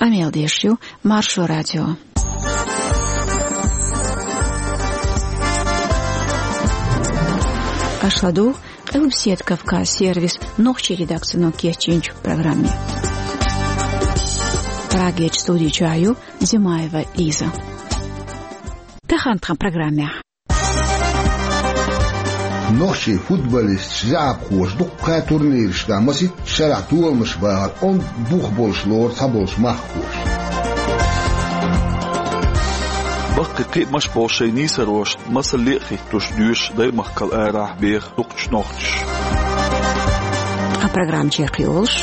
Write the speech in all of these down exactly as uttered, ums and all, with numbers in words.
Къамел деш ю Маршо радио. Аша ладугӀу Къилбаседа Кавказ сервисан нохчийн редакцино кечйинчу программе. Прагерчу студи чохь ю Зимаева Лиза. Тахана тхан программехь. Нохчийн футболисташ, заьӀапхоша дуккха турнираш тӀехь масийтта шарахь толамаш бахар онда бух болуш лору цхьаболчу махкахоша. Баккхий кхиамаш болу шайн нийсарошна масалле а хӀиттош доьшу даймахкал арахь беха дукхачу нохчаша. Тхан программа чекхйолуш.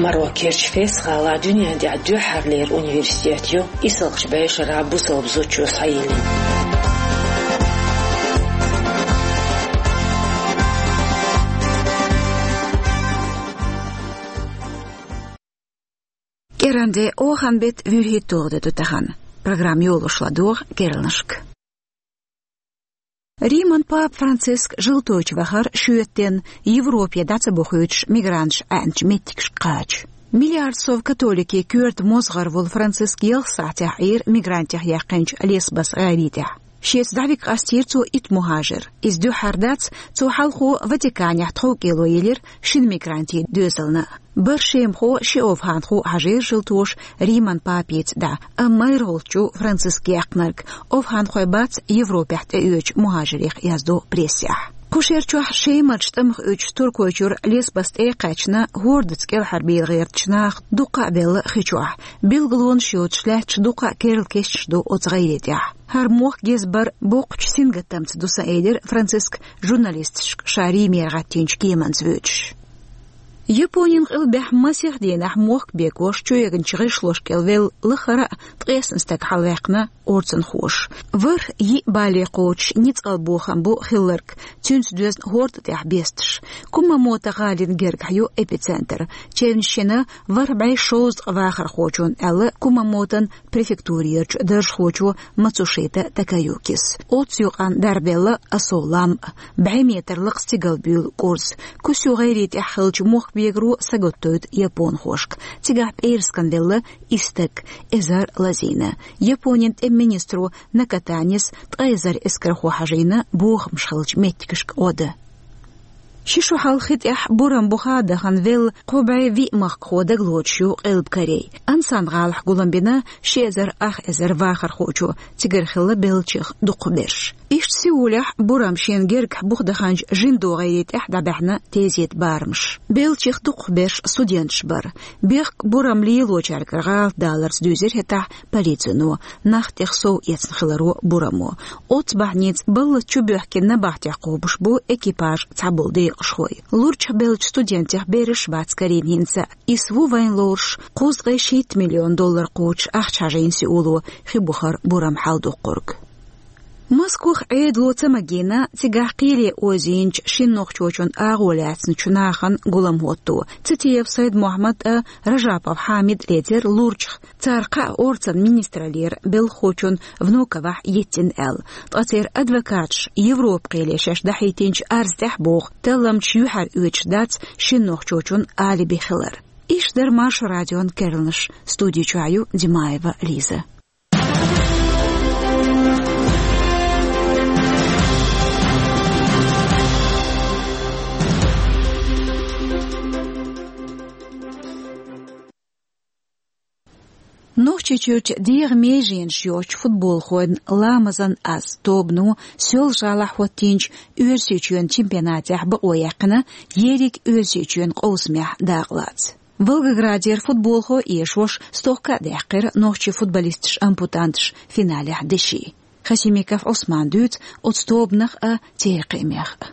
Марокко-Керчи Фес-гӀалахь дуьнен тӀехь дуьххьарлера университет ю, исалгӀачу бӀешарахь бусалба зудчо схьайиллина. КӀиранде, оханан беттан вуьрхӀитталгӀа де ду тахана. Программа йолош ладогӀа керланашка. Риман папа Франциск жалтойчу вахара шоьтан денна Европе дӀа ца бохуьйтуш мигранташ Ӏаьнчу меттигашка кхача. Миллиард сов католикийн коьрта мозгӀар волу Франциск ялх сахьтехь Ӏийра мигрантех яьккхинчу Лесбос гӀайре тӀехь. Шеца дӀавига къастийра цо итт мухӀажир. Иза дуьххьара дац, цо хьалхо Ватиканехь тховкӀело елира шина мигрантийн доьзална. БархӀ шемахо, ши овханхо хьажийра жалтоша Риман папица дӀа, амма майрхӀолччу Франциск яьккхинарг овханхой бац Европехь тӀеоьцучу мухӀажирех, яздо прессехь. Кху шерчохь Шемарчу тӀамах уьдучу Туркойчуьра Лесбос тӀе а кхаьчна, хӀордаца кӀелхьарбийла гӀертачу наха дуккха а белла хи чохь, билгалонаш йоцуш лаьтташ дуккха а керла кешнаш ду оцу гӀайре тӀехь. ХӀара мохк геза бар боккхачу сингаттамца ду сан, элира Франциск журналисташка ша Римера гӀаттийначу кеманца воьдуш. Японин къилбехь масех дийнахь мохк бегош чуэгначу гӀишлош кӀел велла лахара а ткъесна стаг хьалаваьккхина орцанхоша. ВорхӀ йиъ бале кхочуш ницкъалбохам бу хилларг, цуьнца доьзна хӀорда тӀехь бесташ. Кумамото гӀалина гергахь ю эпицентр. Чевнаш йина ворхӀ бӀе шовзткъа вахархочунна, аьлла Кумамотон префектурерчу даржхочо Мацушита Такаюкис. Оццу юкъанна дарбелла Асо лам а, бӀе метр лакхара стигалбуьйлу кӀурз. Кусю гӀайре тӀехь хиллачу мохк бегаро сагатдойту японхошка. Цигахь пӀераскан велла исс стаг, эзар лазийна. Японин тӀеман министро Накатанис ткъа эзар эскархо хьажийна бохамаш хиллачу меттигашка гӀо дан. Ши шо хьалха хи тӀехь бурам буха а дахана велла кхо бӀе виъ махкахо дагалоцуш ю Къилба Корей. Ансан гӀалахь гулам бина ши эзар ах эзар вахархочо, цигара хилла беллачех дукхахберш. Иштта Сеулехь бурам шена гергахь буха даханчу жиндо гӀайре тӀехь дӀабаьхьна тезета барамаш. Беллачех дукхахберш студенташ бара. Бехк бурам лелочаьргара гӀалатдаларца дуьйзира хӀетахь полицино, нах тӀех сов эцна хиларо бурамо. Оццу бахьаница баллаца чубоьхкина набахтех кхобуш бу экипажан цхьаболу декъашхой. Лурчахь беллачу студентех бераш бац карийна хӀинца а. Исс ву вайн лоруш кхузткъе шийтта миллион доллар кхочуш ахча хьажийна Сеуло хи бухара бурам хьалдоккхург. Москвахь Ӏедало ца магийна, цигахь кхеле озийначу шина нохчочун агӀо лаьцначу нахана гулам хӀотто. Цитиев Сайд-Мохьмад а, Ражапов Хьамид а лецира лурчахь, цара кхаа орцан министраллера белхахочун Внуковахь йиттина аьлла. Ткъа церан адвокаташа Европа-кхеле шаьш дӀахьийтинчу арз тӀехь боху талламчаш юьхьар оьцуш дац шина нохчочун алиби хилар. Иштта дара Маршо радион керланаш. Студи чохь ю Димаева Лиза. Нохчийчуьрчу дегӀан меженаш йоцчу футболхойн «Ламазан аз» тобано Соьлжа-ГӀалахь хӀоттийначу Оьрсийчоьнан чемпионатехь бакъо яьккхина, ерриг Оьрсийчоьнан къовсамехь дакъалаца. Волгоградера футболхо эшош стохка а даьккхира нохчийн футболисташ-ампутанташ финалехь деши. Хасимиков Ӏусмана дуьйцу оцу тобанах а, церан кхиамех а.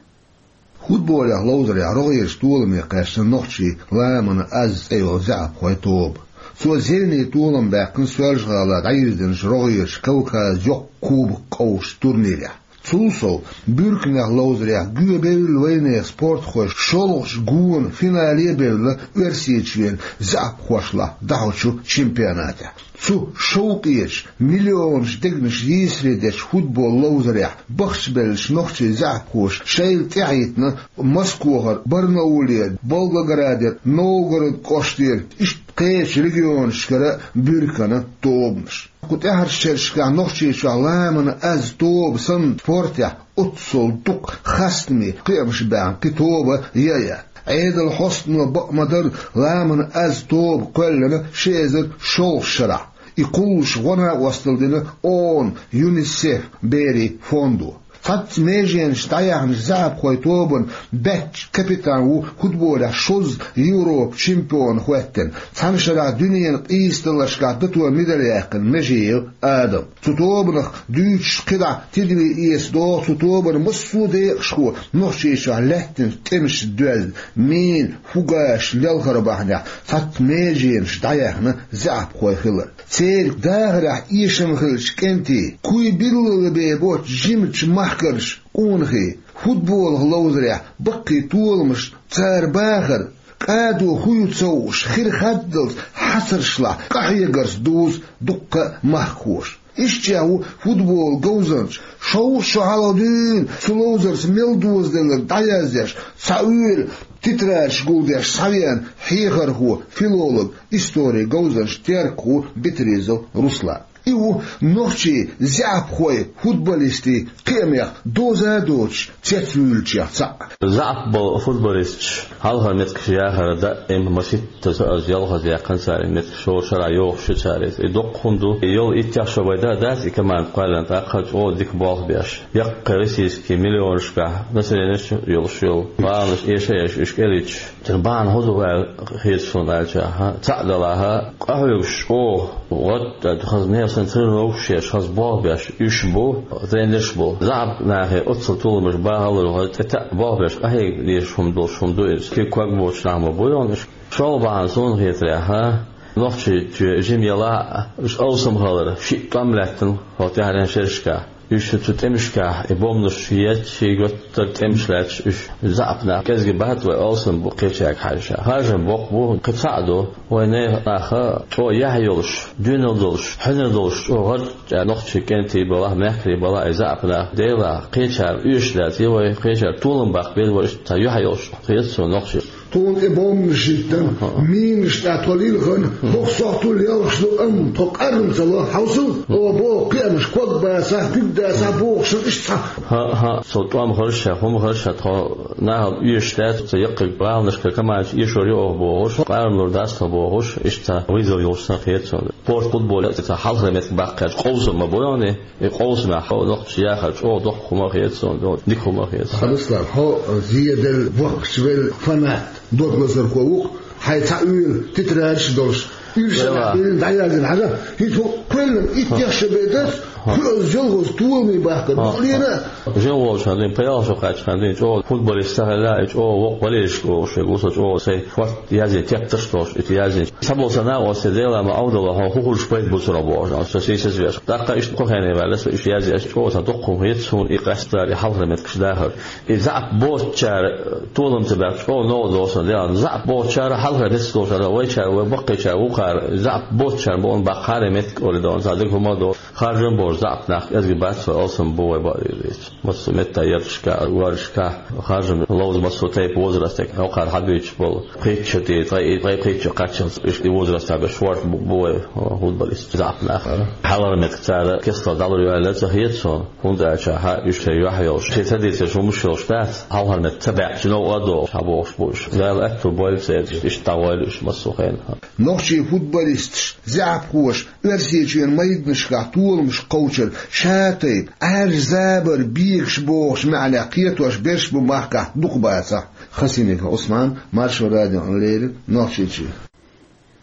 Футболехь ловзарехь рогӀерчу толаме кхаьчна нохчийн «Ламазан аз» цӀе йолу заьӀапхойн тоба. Цо зене толам баьккхина Соьлжа-ГӀала дӀайирзинчу рогӀерчу Кавказан йоккха кубок къовсучу турнирехь. Цул сов, буьрканех ловзарехь гоьбевлла вайнехан спортхой шолгӀачу гонан финале а бевлла Оьрсийчоьнан заьӀапхошлахь дӀахьочу чемпионатехь. Цу шовкъечу, миллионаш дегнаш йийсаре дечу футбол ловзарехь бахчабеллачу нохчийн заьӀапхоша шайла тӀаьхьахӀиттина Москвахара, Барнаулера, Волгоградера, Новгород кӀоштера, иштта кхечу регионашкара буьркана тобанаш. Кху тӀаьхьарчу шерашкахь Нохчийчохь ламанан аз тоба санна спортехь оццул дукха хастаме кхиамаш баьхна кхин тоба я а яц. Ӏедалан хьостано бакъ ма-дарра ламанан аз тоба кхоьллина ши эзар шолгӀачу шарахь. И кхуллуш гӀо-накъосталла дина ООН-ан ЮНИСЕФ берийн фондо. Цхьацца меженаш дӀаяьхначу заьӀапхойн тобанан баьчча капитан ву футболехь шозза Европан чемпион хӀоьттина, цхьана шарахь дуьненан къийсадаларшкахь дато медаль яьккхина Межиев Адам. Цу тобанах дуьйцуш кхидӀа тидаме эца догӀу цу тобанан массо а декъашхо Нохчийчохь лаьттинчу тӀемашца доьзна, мина, фугасаш лелхар бахьанехь цхьацца меженаш дӀаяьхна заьӀапхой хилар. Церан дахарехь эшам хиллачу кӀентийн, куй биллалла бен боцчу жимачу махкарчу къонахий, футболах ловзарехь баккхий толамаш, цара бахар, кӀадо хӀун ю ца хууш, хир хаддалц хьацаршлахь къахьегарца дузу дуккха а махкахоша. Ишттачех ву футболан говзанча, шовзткъа шо хьалха дуьйна цу ловзарца мел дозаделларг дӀаязъеш, цхьа уьйр тетрадаш гулдеш схьавеана хьехархо, филолог, историн говзанча, теркахо Битризов Руслан. И ву нохчийн заьӀапхойн футболистийн кхиамех доза а доцуш цецвуьйлучех цхьаъ. ЗаьӀап болу футболисташ хьалхара меттигаш яхар даим маситтаза аз ялхаза яьккхина цара и меттигаш, шора шарахь йохуш ю цара иза. И доккха хӀума ду. И йолу иттех шо вай дан а дац и команда кхоьллина, тӀаккха чӀогӀа дика болх беш. Яккхий российский миллионашкахь населенеш йолуш йолу баланаш эша а еш, уьш кӀелийташ. Цуьнан бахьана хӀун ду аьлла хета суна аьлча, хьан, цхьаъ далахь, къахьоьгуш чӀогӀа гӀод, хаза нехан санна тренировкаш еш, хаза болх беш уьш бу, тренерш бу. ЗаьӀап нахе оццул толамаш бахалур, хаза тӀе таьӀ болх беш къахьега дезаш хӀума долуш хӀума ду иза. Куьг-ког боцуш нах ма бу йоьна уьш. ШолгӀа бахьана суна хетарехь, нохчий чоь жима ялахь а, уьш алсам хилар, шиъ тӀом лаьттина хӀокху тӀаьххьарчу шерашкахь. Уьш цу тӀемашкахь и бомбанаш етташ, шайн готтара тӀемаш лаьтташ, уьш заьӀап нах кӀезиг бац вай, алсам бу кхечаьрга хьаьжча. Харжам боккха бу, кхин цхьаъ ду, вайн нехан нах чӀогӀа яхь йолуш, доьналла долуш, хьуьнар долуш, чӀогӀа гӀарчӀа нохчий кӀентий балахь, мехкарий балахь, и заьӀап нах, Дела, кхечара оьшуш дац, и вай кхечара толам баккха беза вай, иштта цхьа юьхь йолуш хета суна нохчий. Тхуна тӀе бомбанаш йиттина, минаш тӀе тхо лилхина, хӀокху сохьтул ялхаш ду, амма тхо къаррам ца ло, хьовсал, оха боху кхиамаш, ког бацахь, куьг дацахь бохуш, иштта цхьа. ХӀаъ, хӀаъ, цо тӀом хаза ша, хӀума хаза ша, тхо нахала оьшуш дац, цу яккхий баланашкара командаш эшор ю оха бохуш, къарамлур дац тхо бохуш, иштта вызов йолуш санна хета суна. Спорт, футбол, цхьа хьалхара меттиг баккхаьрчу къовсам ма бу йоне. И къовсамехь хьо нохчо яхар чӀогӀа доккха хӀума хета суна, дика хӀума хета суна. Руслан, хьо зеделла, воккхачу велла фанат, дог лазархо ву-кх, хьайн цхьа уьйр тетрадаш долуш, уьш Эва. Дина дӀаяздина хьажа, хӀинца хӀу кхоьллина иттех шо бен дац, хӀу аса жолгӀаза толаме бахкар, хӀу лена. Жен волчу хан дина, пхи-ялх шо кхаьччу хан дина, чӀогӀа футболист ца хилла, и чӀогӀа воккха валерашка вогӀуш вегу, со чӀогӀа сайн шорта язйина тептарш долуш, и язйина. Цхьаболу сан накъостий, Дела ма Ӏовдалла, хьо хӀун хуьлуш пайда бу цунах бохуш, со сийсаз веш. ТӀаккха иштта кху хенахь ваьлла со, иштта язъеш, чӀогӀа сан дуккха хӀума хета суна и къаьсттара, и хьалхара меттигаш дахар. И заьӀап боцучара толам ца баьлча, чӀогӀа новкъа долу сан, Дела, заьӀап боцучара, хьалхара меттигаш долчара, вайчара, вай баккхийчара, вукхара, заьӀап боцучара боху баккхара меттиг олий долу, цхьа дика хӀума а долу. Харжам бохуш заьӀап нах кӀезиг бац вай, алсам бу вай бакъдерг дийца. Массо а метта ярташка, гӀорашка, харжам ловза массо а тайпа возрастехь, хӀокхара хьабуьйцуш болу. Пхийтта шо тӀе, ткъе, ткъе пхийтта шо кхаччалц, иштта и возрастехь беш шорта бу, бу вай футболист, заьӀап нах. Хьалхара меттиг цара кестал дӀалур ю аьлла ца хета суна, хӀунда аьлча хьан уьш шайн юьхь йолуш, шайн ца дийцеш хӀумаш йолуш дац, хьалхара меттиг ца баьӀча новкъа а догӀуш, хьан бохуш бу уьш. Дала аьтту бойла церан, иштта дӀагӀойла уьш массо а хенахь. Нохчийн футболисташ, заьӀапхоша Оьрсийчоьнан майданашкахь толамаш кхочур ша тайпа, Ӏаьржа забар бегаш бохучу маьӀнехь кхетош берш бу махкахь дукха бацахь. Хасимиков Ӏусман, Маршо радиона леррина, Нохчийчоь.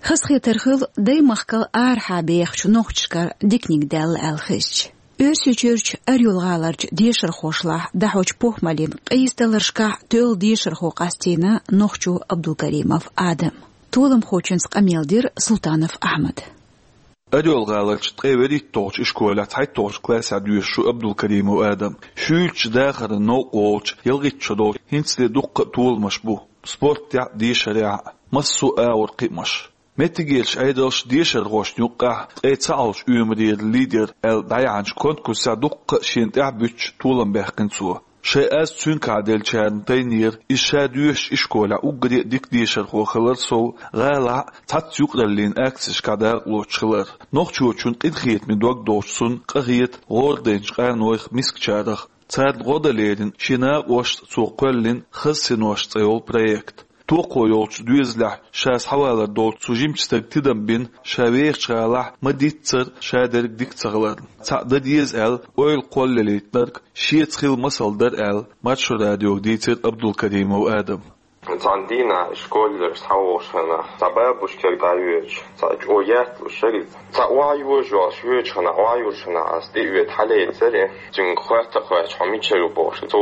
Хазахетар хилла, даймахкал арахьа бехачу нохчашкара диканиг даьлла аьлла хезча. Оьрсийчуьрчу Орёл-гӀаларчу дешархошлахь дӀахьочу похӀмаллин къийсадаларшкахь тоьлла дешархо къастийна нохчо Абдулкаримов Адам. Толамхочуьнца къамел дира Султанов Ахьмада. Орёл-гӀаларчу ткъе вуьрхӀитталгӀачу ишколехь цхьайтталгӀачу классехь доьшуш ву Абдулкаримов Адам. Шуьйрачу дахаран новкъа волчу ялхитта шо долчу хӀинцале дуккха а толамаш бу спортехь а, дешарехь а, массо а агӀор кхиамаш. Меттигерчу Ӏедалша дешархошна юккъехь ткъе цхьалгӀачу оьмарера лидер аьлла дӀаяьхьначу конкурсехь дуккха а шена тӀаьхьа буьттуш толам баьккхина цо. Шайн аз цуьнга хьаделлачарна тайнера, иза ша доьшучу ишколехь уггаре а дика дешархо хилар сов, гӀалахь цхьацца юкъараллин акцешкахь дакъалоцуш хилар. Нохчочун къинхетаме дог долчу цунна къахета гӀорадайначу къанойх, мискачарах. Царна гӀо дан лерина шен накъосташца цо кхоьллина «Хаза синош» цӀе йолу проект. Токхо йолчу доьзалехь ша схьавалар долчу цу жимачу стага тидам бина, ша вехачу гӀалахь ма-диццара ша дерг дика ца хиларна. Цхьаъ дан деза аьлла, ойла кхоллалийтинарг шеца хилла масал дара аьлла, Маршо радиога дийцира Абдулкаримов Адама. Цхьана дийнахь школера схьавогӀуш хенахь, цхьа бабушкера дӀайоьдуш, цхьа чӀогӀа ятталуш яра иза. Цхьа охьайожа йолуш йоьдуш хенахь, охьайуьйш хенахь ас тӀе а веъна хьалаьцнера, цуьнга хоьттина, хоьттича хьо мичара ву бохуш. Цо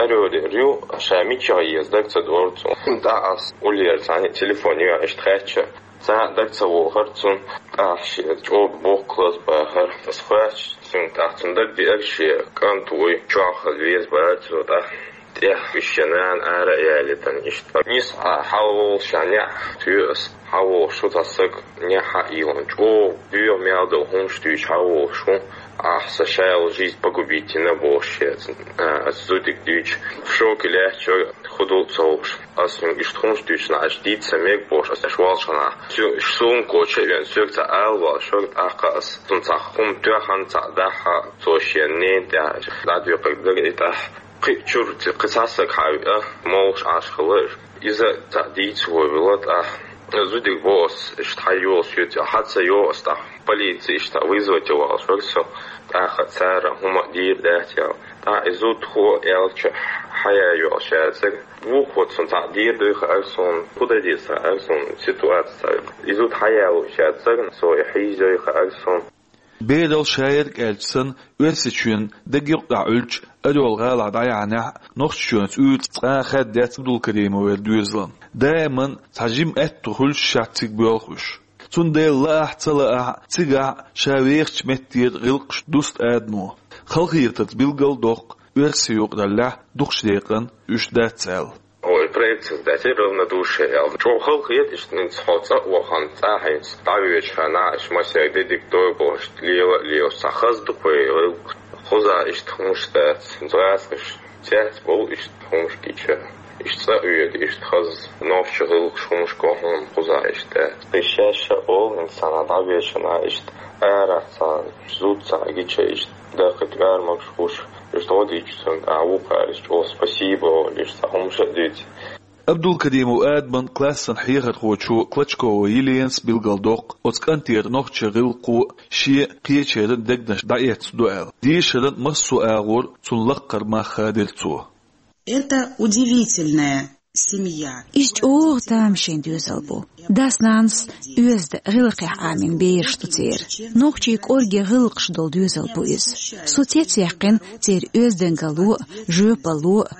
аьллера, ша мичахь еза, даг ца дора цунна. ТӀаккха ас уллера цхьаьна телефон йоьхна, иштта хаьттича, цхьа а даг ца вохура цунна. ТӀаккха шен чӀогӀа боккха лаза бахара. Ас хоьттича цуьнга, тӀаккха цунна дагадеара шен кӀант вуй, чохь хаза веза бахара цо тӀаккха. ТӀехь уьш шен нана ара а ялийтина иштта. Нийса хьалаволуш неӀ тоьхна ас, хьавогӀуш ву цхьа стаг, неӀ хьаийна, чӀогӀа боьха мел долу хӀумаш дуьйцуш хьавогӀуш ву, ахь сан шайла жизнь погубить йина бохуш шеца. А, ас зудчуьнга дуьйцуш, в шоке лаьтташ вара, хӀун ду ца хууш. Ас цуьнга иштта хӀумаш дуьйцуш, аша дийца ца мега бохуш, ас аша волчу хенахь. Цуьнан сумка коча а веана, соьга цхьа ала волуш вара, тӀаккха ас цунна цхьа хӀума тоьхна, цхьа дахьа, цо шен ненан тӀехь дӀадоькхург дара и тӀаккха. Кхин а чуьра кхин цхьа стаг хьавеа, молуш Ӏаш хилла иза. Иза цхьаъ дийца вовелла тӀаккха. Зудчуьнга боху ас, иштта хьайолуш ю, хьа ца йогӀу ас тӀаккха, полици иштта вызвать йо валлалц вара со, тӀаккха цара хӀума а дийр дац аьлла. ТӀаккха и зудчо аьллачу хьаяйо ас шаьрцаг. Вукхо цунна цхьаъ дийр дуй хаьара суна, хӀун дан деза хаьара суна, ситуаци цхьа. И зуда хьаяло шаьрцаг, со и хьийзой хаьара суна. Берал шаерг аьлча санна, Оьрсийчоьнан дегайоккхахь Ӏуьллучу Орёл гӀалахь дӀаяьхьнехь, Нохчийчоьнца уьйраш цкъа а хаьдда дац Абдулкаримовера доьзалан. Даиман цхьа жима аьтто хуьлуш шаьш цига боьлху уьш. Цундела лаахь а, ца лаахь а, цигахь ша вехачу меттера гӀиллакхаш дуста адамо. Халахетарца билгал а доккху, оьрсийн юкъараллехь дукхачу декъана уьш дац аьлла. Ой, проект создать, равнодушие аьлла. ЧӀогӀа халахета иштта, хӀинца хьо цӀа а вахана, цӀа хьаьнца дӀавоьдуш хенахь, иштта массаьрга де дика дой бохуш, лела а лелаш, цхьа хаза ду-кх вай гӀиллакх. Кхузахь иштта хӀумаш дац, гӀазкхаша цецбовлу иштта хӀумаш гича. Иштта цӀа а воьду, иштта хаза нохчийн гӀиллакхаш, хӀумаш го хьуна кхузахь иштта дац. Кхин шаьш а олу, хӀинца цхьанхьа дӀавоьдуш хенахь, иштта арахь цхьа зуда цхьа гича, иштта даккхий тӀоьрмагаш хуш, иштта гӀо дича цуьнга, а, вукхара иштта чӀогӀа спасибо олуш, иштта цхьа хӀумаш а дуьйцу. Абдулкаримов Адаман классан хьехархочо Клочкова Еленас билгалдоккху, оцу кӀантера нохчийн гӀиллакхо шен, кхечеран дегнаш дӀаэцна ду аьлла. Дешаран массо а агӀор цунна лаккхара мах хадийра цо. Это удивительная семья. Иза чӀогӀа тамашийна доьзал бу. Дас-нанас оьзда гӀиллакхехь Ӏамийна бераш ду церан. Нохчийн кӀорге гӀиллакхаш долу доьзал бу иза. Со цецъяьккхина церан оьздангалло а, жоьпалло а.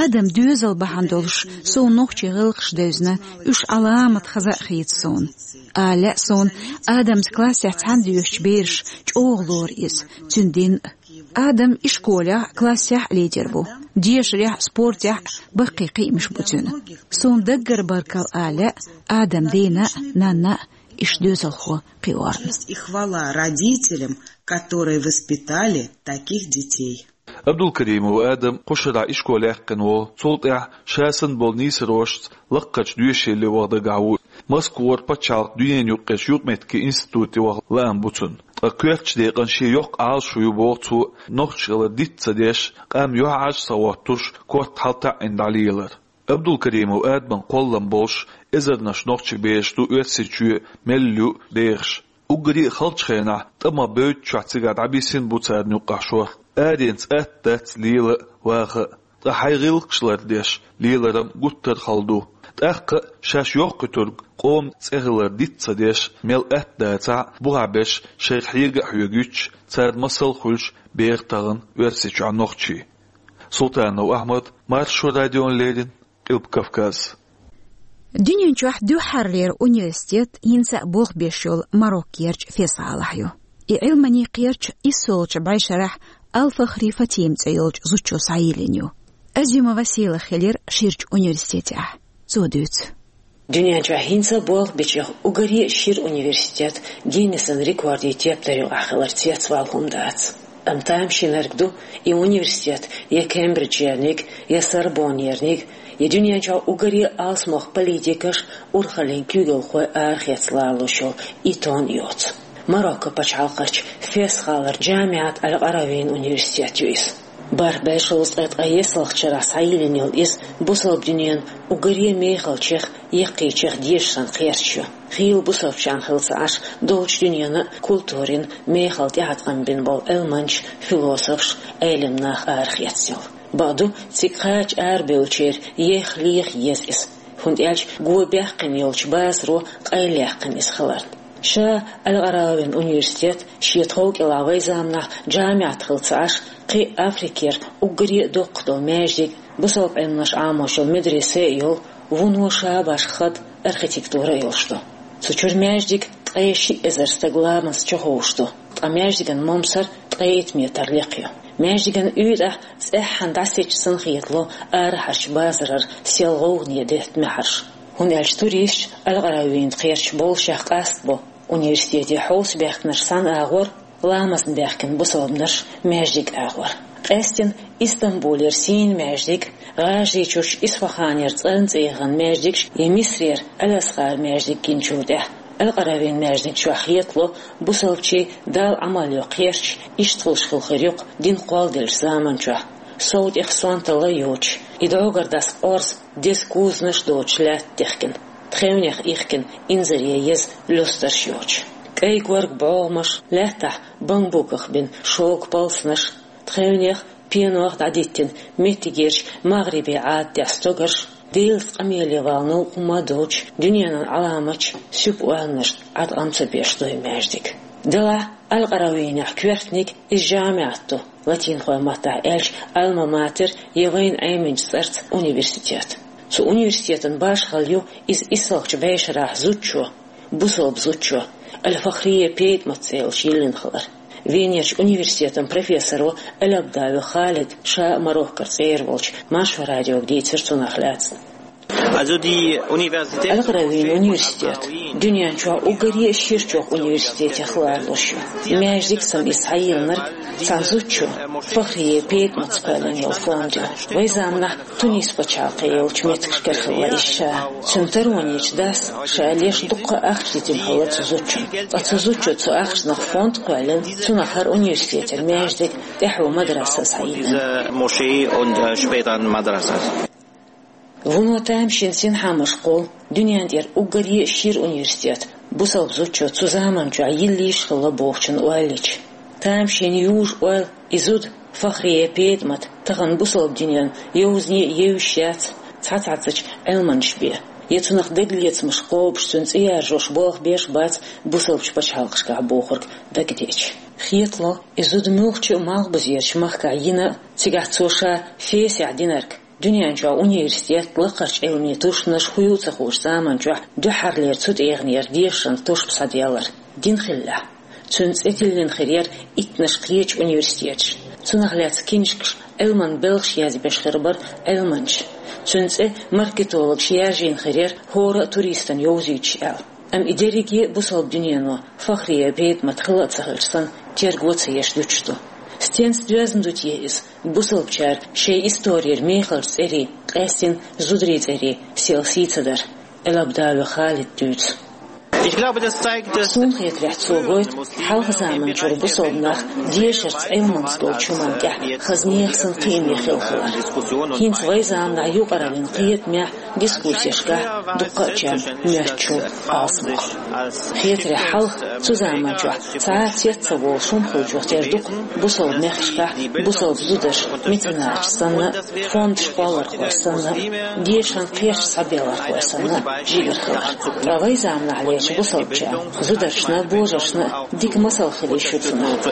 Адаман доьзал бахьана долуш суна нохчийн гӀиллакхаш девзина, уьш Ӏаламат хаза а хийца суна. Ала лаьа суна, Адамца классехь цхьаьна доьшучу бераша чӀогӀа лору иза, цуьнан дин а. Адам ишколехь а, классехь а лидер ву. Дешарехь а, спортехь а баккхий кхиамаш бу цуьнан. Суна даггара баркалла ала лаьа Адаман дена а, нанна а, иштта доьзалхо кхиорна. Честь и хвала родителям, которые воспитали таких детей. Абдулкаримов Адам кху шарахь ишкол яьккхина волу, цул тӀаьхьа ша санна болу нийсарошца лаккхарчу доьшийле ваха дагахь ву. Москвара пачхьалкхан дуьненаюкъарчу юкъаметтигийн институте ваха лаам бу цуьнан. Ткъа коьртачу декъана шен йоккха Ӏалашо ю боху цо, нохчашкара диц ца деш, къам юьхьӀаьржа ца хӀоттош, корта хьалатаӀийна дӀалелар. Абдулкаримов Адаман кхоллам болуш, эзарнаш нохчийн бераш ду Оьрсийчоь мел ю дехаш. Уггаре а халчу хенахь тӀамах бевдда чохь цигахь дӀабисина бу царна юккъахь шорта. Аренца атта дац лела а, ваха а. Ткъа хьайн гӀиллакхаш лардеш, леларан гуттар а хала ду. ТӀаккха а шаьш йоккхуьйтург къоман цӀе хилар диц ца деш, мел атта дацахь а, бухахь берш шайх хьега а хьоьгуьйтуш, царна масал а хуьлуш, беха тахана Оьрсийчохь нохчий. Султанов Ахьмад, Маршо радиона леррина, Къилба Кавказ. Дуьнен чохь дуьххьарлера университет хӀинца а болх беш йолу Мароккерчу Фес-гӀалахь ю. И Ӏилманийн кхерч иссолгӀачу бӀешарахь Ал-Фахри Фатим цӀе йолчу зудчо схьайиллина ю. Азимова Сийлахь хилира ширачу университетехь. Цо дуьйцу. Дуьнен чохь хӀинца а болх бичех уггаре а шира университет Гиннессан рекордийн тептар юкъахь хилар цецвала хӀума дац. Амма тамашийнарг ду, и университет я Кембриджерниг, я Сорбоннерниг, я дуьнен чохь уггаре а алсамох политикаш, урхаллин куьйгалхой арахеца лоруш йолу Итон йоцу. Марокко пачхьалкхарчу Фес-гӀалара Джамиат аль-Къаравин университет ю иза. БархӀ бӀе шовзткъе ткъе ессалгӀачу шарахь схьайиллина йолу иза бусалба дуьненан уггаре а мехалчех, яккхийчех дешаран кхерч ю. Хийла бусалбачарна хилла ца Ӏаш, долчу дуьненан культурин, мехала тӀеӀаткъам бина болу Ӏилманчаш, философаш, Ӏелам нах арахецна йолу. Бакъду, цига кхача арабевллачеран еха леха еза иза, хӀунда аьлча го баьккхина йолчу базаро къайлаяьккхина иза хиларна. Ша Аль-Къаравин университет шен тхов кӀелахь вайн заманахь Джамиат хилла ца Ӏаш, кхин а Африкера уггаре а доккха долу маьждиг, бусалба Ӏилманаш Ӏамош йолу медресе а йолу, вуно шабаш хатӀ, архитектура а йолуш ду. Цу чуьра маьждиг ткъе шиъ эзар стаг ламаза чуховш ду, ткъа маьждиган момсар ткъе итт метр лекха ю. Маьждиган уьйтӀахь цӀеххьана дӀасаьттича санна хетало арахьарчу базарара сел гӀовгӀане детта маьхьарш. ХӀунда аьлча туристаш Аль-Къаравин кхерч боллушехь къастабо университете хьовсабаьхкинарш санна агӀор, ламазна баьхкина бусалбанаш маьждиг агӀор. Къаьстина Истамбулера сийна маьждиг, ГӀажарийчуьрчу Исфаханера цӀанцӀе яхана маьждигаш я Мисрера Аль-Асхар маьждиг гиначул тӀаьхьа Аль-Къаравин маьждиг чохь хетало бусалбачийн Далла Ӏамал йо кхерч иштта хуьлуш хилла хир ю-кх дин кхолладеллачу заман чохь, сов тӀех сонталла йоцуш, и дӀогара дӀаса къорза, деза кузанаш доцуш лаьтта дехкина, тхевнех ихкина инзаре еза луьстарш йоцуш. КӀай-горга бӀогӀамаш, лаьттахь бамбуках бина шога палсанаш, тхевнех, пенох дӀадиттина меттигерчу магӀрибин Ӏадатехь стогарш, Делаца къамеле вала новкъа хӀума а доцуш, дуьненан Ӏаламаташ, суьпа ойланаш Ӏаткъам ца беш ду и маьждиг. Делахь, Аль-Къаравинехь коьртаниг иза Джамиат ду, латинхойн маттахь аьлча, Альма-Матер я вайна Ӏеминчу цӀарца университет. Цу университетан башхалла ю иза иссалгӀачу бӀешарахь зудчо, бусалба зудчо, Аль-Фахрия ПетӀамат цӀе йолчу йиллина хилар. Венерчу университетан профессоро Аль-Абдави Халид, ша а Мароккора цӀера волчу Маршо радиога дийцира цунах лаьцна. Also die Universität Аль-Къаравин университет дуьнен чохь уггаре а ширачу университетех лоруш ю. Маьждиг санна иза схьайиллинарг цхьана зудчо, Фахрия ПетӀамата кхоьллина йолу фонд ю. Вайн заманахь Тунис пачхьалкхе йолчу меттигашкара хилла иза ша. Цуьнан таронечу дас ша леш дуккха а ахча дитина хилла цу зудчунна. Ткъа цу зудчо цу ахчанах фонд а кхоьллина, цунах хӀара университетера маьждиг, тӀаьхьо мадраса а схьайиллина. Diese Moschee und, äh, später ein Madrasa. Вуно тамашийна синхьаамаш кхуллу дуьнен тӀера уггаре а шира университет, бусалба зудчо цу заман чохь йиллийш а хилла бохучун ойла йича. Тамашийна южу ойла и зуда, Фахрия ПетӀамат, тахана бусалба динан йовзане а евзаш яц, цхьаццачу Ӏилманчаш бен. Я цунах дагалецамаш кхобуш, цуьнан цӀе яржош болх беш а бац бусалбачу пачхьалкхашкахь бохург дагадеъча. Хетало, и зуда муьлххачу а малхбузерчу махкахь йина а, цигахь цо ша Фесехь динарг, дуьнен чохь университет, лакхарчу Ӏилманийн тушманаш хӀун ю ца хуучу заман чохь дуьххьарлера цу тӀегӀанера дешаран тушма схьаделлар дин хиллехь. Цуьнан цӀе тиллина хир яра иттанаш кхечу университеташна. Цунах лаьцна киншкаш, Ӏилман белхаш язбеш хир бара Ӏилманчаш. Цуьнан цӀе маркетологаша яржийна хир яра хӀора а туристана йовзуьйтуш аьлла. Амма и дерриге а бусалба дуьнено Фахрия ПетӀамат хилла а ца хилча санна, терго ца еш дуьтуш ду. Стенца доьзна ду те иза, бусалбачара шайн исторера мехалчу цӀерийн, къаьстина зударийн цӀерийн сел сий ца дар? Аль-Абдави Халида дуьйцу. Ich glaube, das zeigt, dass Суна хетарехь, цо гойту хьалха заманчуьра бусалба нах дешарца, Ӏилманца долчу хӀуманна тӀехь хаза нехан санна кхиаме хилла хилар. ХӀинца вайн заманахь юкъараллин кхетамехь, дискуссешкахь дуккха а чам моьттучу алсамох. Хетарехь, хьалха цу заман чохь цхьа а цец ца волуш хӀума хилчух тера ду-кх бусалба мехкашкахь бусалба зударш меценаташ санна, фондаш кхоллархой санна, дешаран кхерчаш схьабеллархой санна жигара хилар. Ткъа вайн заманахь лерчу бусалбачарна, зударшна, божаршна дика масал хила йиш ю цунах.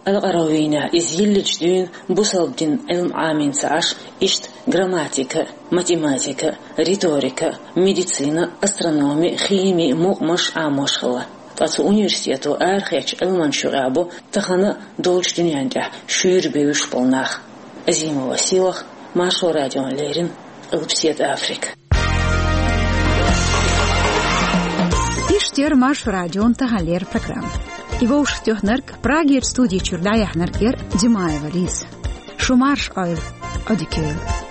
Аль-Къаравинехь иза йиллинчу дуьйна бусалба динан Ӏилма Ӏамийна ца Ӏаш, иштта грамматика, математика, риторика, медицина, астрономи, хими, мукъамаш Ӏамош хилла. Ткъа цу университето арахецначу Ӏилманчийн юкъахь бу тахана а, долчу дуьнен тӀехь шуьйра бевзаш болу нах. Азимова Сийлаха, Маршо радиона леррина, Къилбаседа Африка. Иштта яра Маршо радион таханлера программа. И вовшахтоьхнарг, Прагера студи чуьра дӀаяьхьнарг яр Димаева Лиза. Шу марша Ӏойла, Ӏодика йойла.